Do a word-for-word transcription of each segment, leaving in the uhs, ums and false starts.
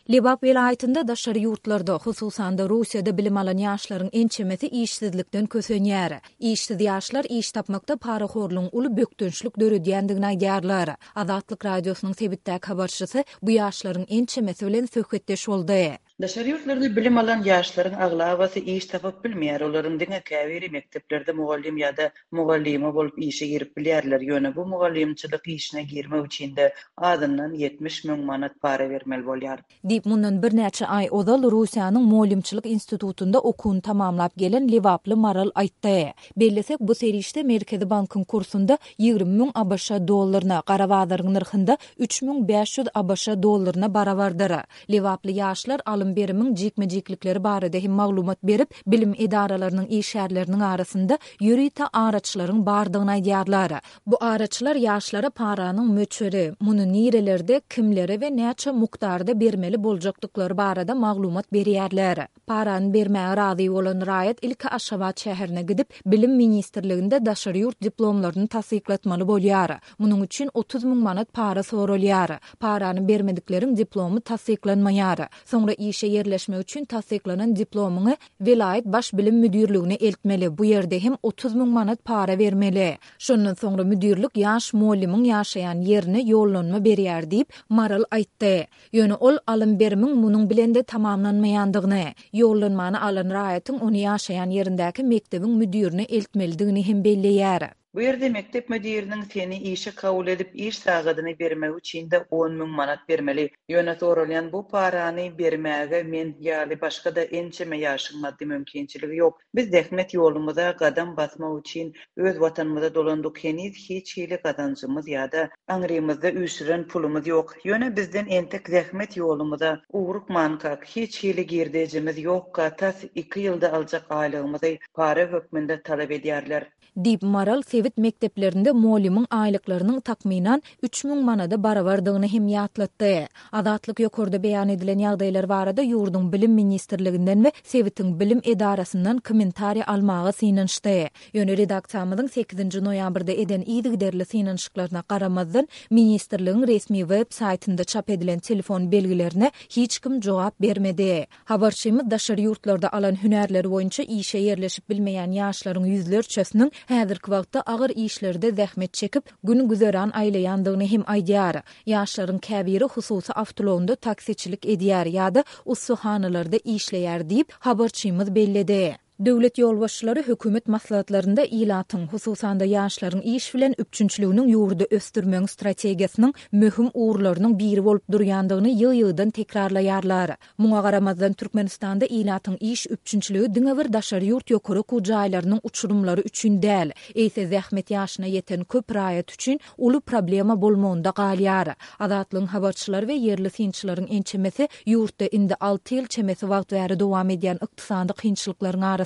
Lebap welaýatynda daşary ýurtlarda, hususan-da Russiýada bilim alan ýaşlaryň ençemesi işsizlikden kösenýär. Işsiz ýaşlar iş tapmakda parahorlugyň uly bökdençlik döredýändigini aýdýarlar. Azatlyk Radiosynyň sebitdäki habarçysy bu ýaşlaryň ençemesi bilen söhbetdeş boldy. Daşary ýurtlarda bilim alan ýaşlaryň aglabasy iş tapyp bilmeýär. Olaryň diňe käbiri mekdeplerde mugallym ýa-da mugallyma bolup işe girip bilýärler. Ýöne bu mugallymçylyk işine girmek üçin-de azyndan ýetmiş müň manat para bermeli bolýar. Diýip, mundan birnäçe aý ozal Russiýanyň Mugallymçylyk institutynda okuwyny tamamlap gelen lebaply Maral aýtdy. Bellesek, bu serişde Merkezi bankyň kursunda ýigrimi müň ABŞ dollaryna, gara bazaryň nyrhynda üç müň bäş ýüz ABŞ dollaryna barabardyr. Lebaply ýaşlar alym-berimiň jikme-jiklikleri barada hem maglumat berip, bilim edaralarynyň işgärleriniň arasynda ýörite araçylaryň bardygyny aýdýarlar. Bu araçylar ýaşlara paranyň möçberi, muny nirelerde, kimlere we näçe mukdarda bermeli boljakdyklary barada maglumat berýärler. Parany bermäge razy bolan raýat ilki Aşgabat şäherine gidip, Bilim ministrliginde daşary ýurt diplomlaryny tassyklatmaly bolýar. Munuň üçin otuz müň manat para soralýar. Parany bermedikleriň diplomy tassyklanmaýar. Soňra işe ýerleşmek üçin tassyklanan diplomyňy welaýat baş bilim müdirligine eltmeli, bu ýerde hem otuz müň manat para bermeli. Şondan soňra müdirlik ýaş mugallymyň ýaşaýan ýerine ýollanma berýär diýip, Maral aýtdy. Ýöne ol alym-berimiň munuň bilen-de tamamlanmaýandygyny, ýollanmany alan raýatyň ony ýaşaýan ýerindäki mekdebiň müdirine eltmelidigini hem belleýär. Bu ýerde mekdep müdiriniň seni işe kabul edip, iş sagadyny bermegi üçin-de on müň manat bermeli. Ýöne soralýan bu parany bermäge men ýaly başga-da ençeme ýaşyň maddy mümkinçiligi ýok. Biz zähmet ýolumyza gadam basmak üçin öz watanymyza dolandyk, heniz hiç hili gazanjymyz ýa-da aňrymyzda üýşüren pulumyz ýok. Ýöne bizden entek zähmet ýolumyza ugrukmankak, hiç hili girdejimiz ýokka, tas iki ýylda aljak aýlygymyzy para hökmünde talap edýärler. Diýip, Maral sebit mekdeplerinde mugallymyň aýlyklarynyň takmynan üç müň manada barabardygyny hem ýatlatdy. Azatlyk ýokarda beýan edilen ýagdaýlar barada ýurduň Bilim ministrliginden we sebitiň bilim edarasyndan kommentariý almaga synanyşdy. Ýöne redaksiýamyzyň sekizinji noýabrda eden yzygiderli synanyşyklaryna garamazdan, ministrligiň resmi web saýtynda çap edilen telefon belgilerine hiç kim jogap bermedi. Habarçymyz daşary ýurtlarda alan hünärleri boýunça işe ýerleşip bilmeýän ýaşlaryň ýüzlerçesiniň häzirki wagtda agyr işlerde zähmet çekip, gün-güzeran aýlaýandygyny hem aýdýar. Ýaşlaryň käbiri hususy awtoulagynda taksiçilik edýär ýa-da ussahanalarda işleýär diýip, habarçymyz belledi. Döwlet ýolbaşçylary hökümet maslahatlarynda ilatyň, hususan-da ýaşlaryň iş bilen üpjünçiliginiň ýurdy ösdürmegiň strategiýasynyň möhüm ugurlarynyň biri bolup durýandygyny ýygy-ýygydan tekrarlaýarlar. Muňa garamazdan, Türkmenistanda ilatyň iş üpjünçiligi diňe bir daşary ýurt ýokary okuw jaýlarynyň uçurymlary üçin däl, eýse zähmet ýaşyna ýeten köp raýat üçin uly problema bolmagynda galýar. Azatlygyň habarçylary we ýerli synçylaryň ençemesi ýurtda indi alty ýyl çemesi wagt bäri dowam edýän ykdysady kynçylyklaryň arasynda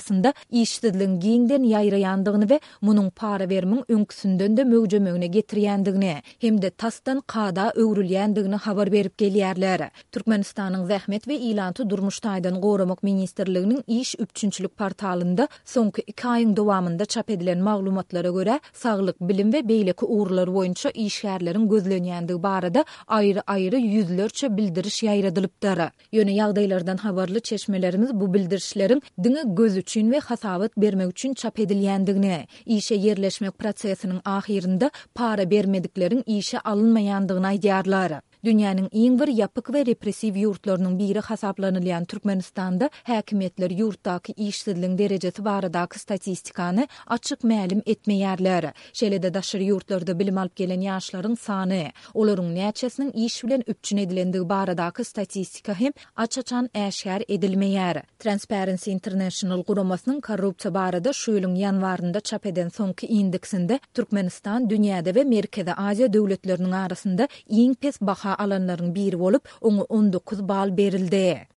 işsizligiň giňden ýaýraýandygyny we munuň para berimiň öňküsinden-de möwjemegine getirýändigini hem-de tasdan kada öwrülýändigini habar berip gelýärler. Türkmenistanyň Zähmet we ilaty durmuş taýdan goramak ministrliginiň iş üpjünçilik portalynda soňky iki aýyň dowamynda çap edilen maglumatlara görä, saglyk, bilim we beýleki ugurlar boýunça işgärleriň gözlenýändigi barada aýry-aýry ýüzlerçe bildiriş ýaýradylypdyr. Ýöne ýagdaýlardan habarly çeşmelerimiz bu bildirişleriň diňe göz üçin we hasabat bermek üçin çap edilýändigini, işe ýerleşmek prosesiniň ahyrynda para bermedikleriň işe alynmaýandygyny aýdýarlar. Dünýäniň iň bir ýapyk we repressiw ýurtlarynyň biri hasaplanylýan Türkmenistanda häkimiýetler ýurtdaky işsizligiň derejesi baradaky statistikany açyk mälim etmeýärler. Şeýle-de daşary ýurtlarda bilim alyp gelen ýaşlaryň sany, olaryň näçesiniň iş bilen üpjün edilendigi baradaky statistika hem aç-açan äşgär edilmeýär. Transparency International guramasynyň korrupsiýa barada şu ýylyň ýanwarynda çap eden soňky indeksinde Türkmenistan dünýäde we Merkezi Aziýa döwletleriniň arasynda iň pes baha alanlaryň biri bolup, oňa on dokuz bal berildi.